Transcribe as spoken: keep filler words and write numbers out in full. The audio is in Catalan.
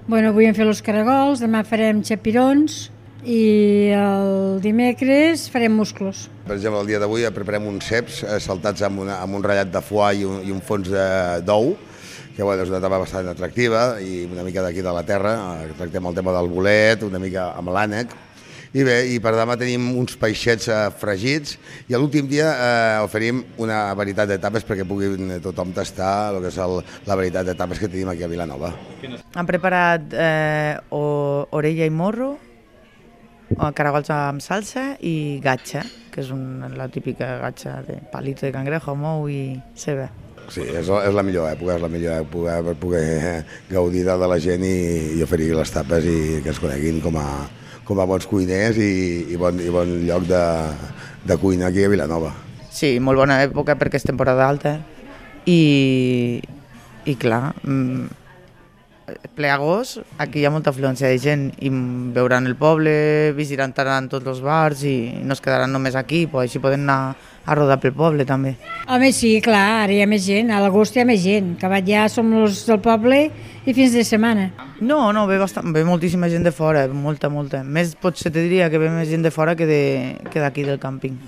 Bueno, avui hem fet els caragols, demà farem xapirons i el dimecres farem musclos. Per exemple, el dia d'avui preparem uns ceps saltats amb, una, amb un ratllat de foie i un, i un fons d'ou, que bueno, és una etapa bastant atractiva i una mica d'aquí de la terra. Tractem el tema del bolet, una mica amb l'ànec. I bé, i per demà tenim uns peixets eh, fregits i a l'últim dia eh, oferim una varietat de tapes perquè pugui tothom tastar el que és el, la varietat de tapes que tenim aquí a Vilanova. Han preparat eh, o, orella i morro, caragols amb salsa i gatxa, que és un, la típica gatxa de palito de cangrejo, mou i ceba. Sí, és, és la millor època, és la millor època per poder gaudir de la gent i, i oferir les tapes i que es coneguin com a com a bons cuiners i, i, bon, i bon lloc de, de cuina aquí a Vilanova. Sí, molt bona època perquè és temporada alta i, i clar, ple agost, aquí hi ha molta afluència de gent i veuran el poble, visitaran tots els bars i no es quedaran només aquí, però així poden anar a rodar pel poble també. Home, sí, clar, ara hi ha més gent, a l'agost hi ha més gent, que ja som els del poble i fins de setmana. No, no, ve, bastant, ve moltíssima gent de fora, molta, molta. Més potser te diria que ve més gent de fora que d'aquí del càmping.